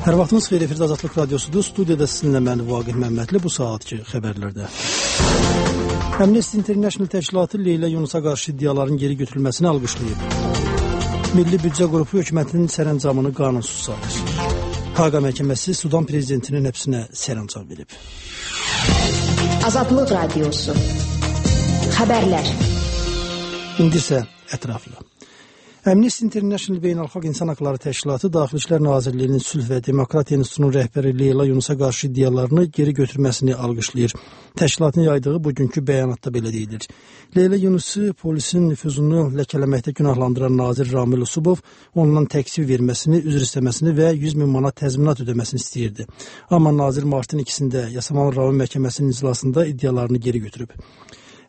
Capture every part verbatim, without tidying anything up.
Hər vaxtınız xeyir, efirdə Azadlıq Radyosudur. Studiyada sizinlə mən Vaqif Məmmədli bu saatki xəbərlərdə. Amnesty International təşkilatı Leyla Yunusa qarşı iddiaların geri götürülməsini alqışlayıb. Milli Büdcə Qrupu hökumətinin sərəncamını qanunsuz sayır. Haqa məhkəməsi Sudan prezidentinin həbsinə sərəncam verib. Azadlıq Radyosu. Xəbərlər. İndi isə ətraflı. Amnesty International Beynəlxalq İnsan Haqları Təşkilatı Daxili İşlər Nazirliyinin Sülh və Demokratiya İnstitutunun rəhbəri Leyla Yunusa qarşı iddialarını geri götürməsini alqışlayır. Təşkilatın yaydığı bugünkü bəyanatda belə deyilir. Leyla Yunusu polisin nüfuzunu ləkələməkdə günahlandıran nazir Ramil Usubov ondan təqsir verməsini, üzr istəməsini və yüz min manat təzminat ödəməsini istəyirdi. Amma nazir martın ikisində Yasamal Rayon Məhkəməsinin iclasında iddialarını geri götürüb.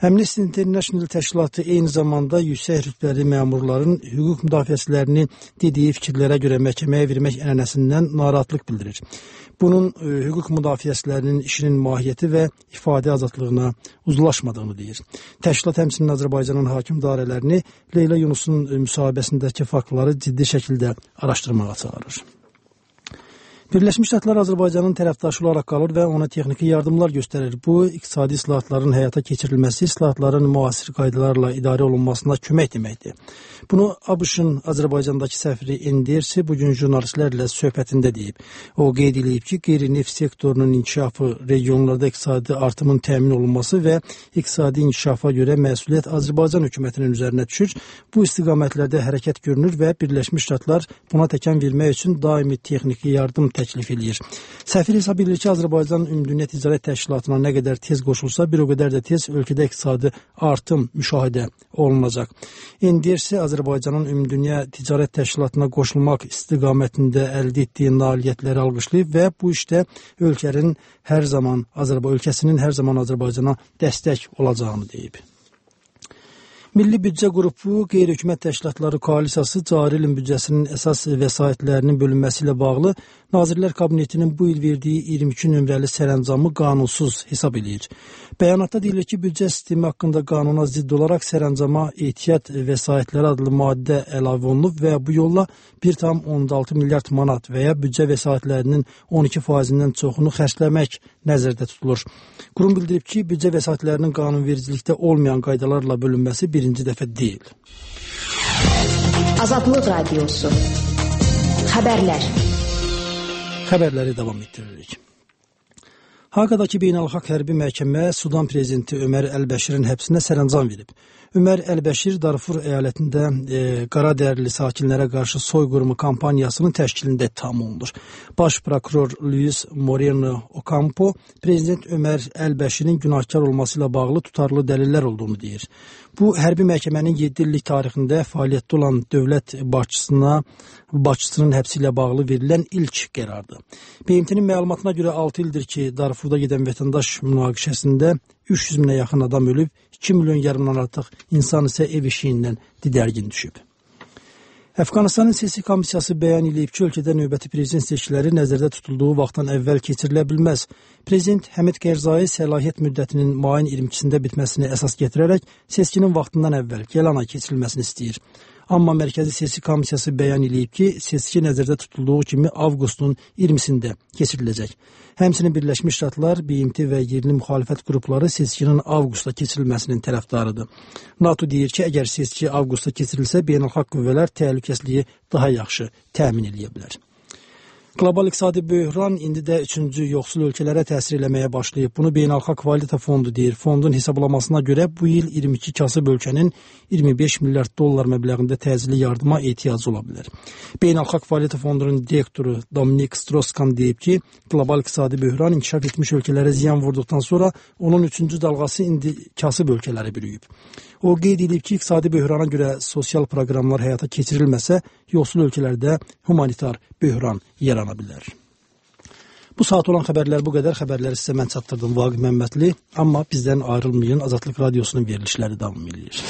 Amnesty International təşkilatı eyni zamanda yüksək rütbəli məmurların hüquq müdafiəçilərini dediyi fikirlərə görə məhkəməyə vermək ənənəsindən narahatlıq bildirir. Bunun e, hüquq müdafiəçilərinin işinin mahiyyəti və ifadə azadlığına uzlaşmadığını deyir. Təşkilat həmçinin Azərbaycanın hakim idarələrini Leyla Yunusun müsahibəsindəki faktları ciddi şəkildə araşdırmağa çağırır. Birləşmiş Ştatlar Azərbaycanın tərəfdaşı olaraq qalır və ona texniki yardımlar göstərir. Bu, iqtisadi islahatların həyata keçirilməsi, islahatların müasir qaydalarla idarə olunmasına kömək deməkdir. Bunu ABŞ-ın Azərbaycandakı səfiri Endersi bugün jurnalistlərlə söhbətində deyib. O qeyd edib ki, qeyri-neft sektorunun inkişafı, regionlarda iqtisadi artımın təmin olunması və iqtisadi inkişafa görə məsuliyyət Azərbaycan hökumətinin üzərinə düşür. Bu istiqamətlərdə hərəkət görünür və Birləşmiş Ştatlar buna təkan vermək üçün daimi texniki yardım təklif edir. Səfir hesab edir ki, Azərbaycan Ümumdünya Ticarət Təşkilatına nə qədər tez qoşulsa, bir o qədər də tez ölkədə iqtisadi artım müşahidə olunacaq. Endersi Azərbaycanın Ümumdünya Ticarət Təşkilatına qoşulmaq istiqamətində əldə etdiyi nailiyyətləri alqışlayıb və bu işdə ölkənin hər zaman Azərbaycan ölkəsinin hər zaman Azərbaycana dəstək olacağını deyib. Milli Büdcə Qrupu qeyri-hökumət təşkilatları koalisiyası cari ilin büdcəsinin əsas vəsaitlərinin bölünməsi ilə bağlı Nazirlər Kabinetinin bu il verdiyi iyirmi iki nömrəli sərəncamı qanunsuz hesab edir. Bəyanatda deyilir ki, büdcə sistemi haqqında qanuna zidd olaraq sərəncama ehtiyat vəsaitləri adlı maddə əlavə olunub və bu yolla bir tam on altı milyard manat və ya büdcə vəsaitlərinin on iki faizindən çoxunu xərcləmək nəzərdə tutulur. Qurum bildirib ki, büdcə vəsaitlərinin qanunvericilikdə olmayan qaydalarla bölünməsi birinci dəfə deyil. Azadlıq Radyosu. Xəbərlər. Xəbərləri davam etdiririk. Haqadakı beynəlxalq hərbi məhkəmə Sudan prezidenti Ömər Əl-Bəşirin həbsinə sərəncam verib. Ömər Əl-Bəşir Darfur əyalətində e, qaradərili sakinlərə qarşı soyqırımı kampaniyasının təşkilində ittiham olunur. Baş prokuror Luis Moreno Ocampo prezident Ömər Əl-Bəşirin günahkar olması ilə bağlı tutarlı dəlillər olduğunu deyir. Bu, hərbi məhkəmənin yeddi illik tarixində fəaliyyətdə olan dövlət başçısına, başçısının həbsi ilə bağlı verilən ilk qərardır. B M T-nin məlumatına görə altı ildir ki, Darfurda gedən vətəndaş münaqişəsində üç yüz minə yaxın adam ölüb, iki milyon yarımdan artıq insan isə ev eşiyindən didərgin düşüb. Əfqanistanın siyasi komissiyası bəyan edib ki, ölkədə növbəti prezident seçkiləri nəzərdə tutulduğu vaxtdan əvvəl keçirilə bilməz. Prezident Həmid Qərzai səlahiyyət müddətinin mayın iyirmi ikisində bitməsini əsas gətirərək seçkinin vaxtından əvvəl gələn ay keçirilməsini istəyir. Amma Mərkəzi Seçki Komissiyası bəyan edib ki, seçki nəzərdə tutulduğu kimi avqustun iyirmisində keçiriləcək. Həmçinin Birləşmiş Ştatlar, B M T və yerli müxalifət qrupları seçkinin avqustda keçirilməsinin tərəfdarıdır. NATO deyir ki, əgər seçki avqustda keçirilsə, beynəlxalq qüvvələr təhlükəsizliyi daha yaxşı təmin edə bilər. Qlobal iqtisadi böhran indi də üçüncü yoxsul ölkələrə təsir eləməyə başlayıb. Bunu Beynəlxalq Valyuta Fondu deyir. Fondun hesablamasına görə bu il iyirmi iki kasıb ölkənin iyirmi beş milyard dollar məbləğində təcili yardıma ehtiyacı ola bilər. Beynəlxalq Valyuta Fondunun direktoru Dominik Strauss-Kahn deyib ki, qlobal iqtisadi böhran inkişaf etmiş ölkələrə ziyan vurduqdan sonra onun üçüncü dalğası indi kasıb ölkələri bürüyüb. O qeyd edib ki, iqtisadi böhrana görə sosial proqramlar həyata keçirilməsə, yoxsul ölkələrdə humanitar böhran yarana bilər. Bu saat olan xəbərlər bu qədər. Xəbərləri sizə mən çatdırdım Vaqif Məmmədli. Amma bizdən ayrılmayın, Azadlıq Radyosunun verilişləri davam edir.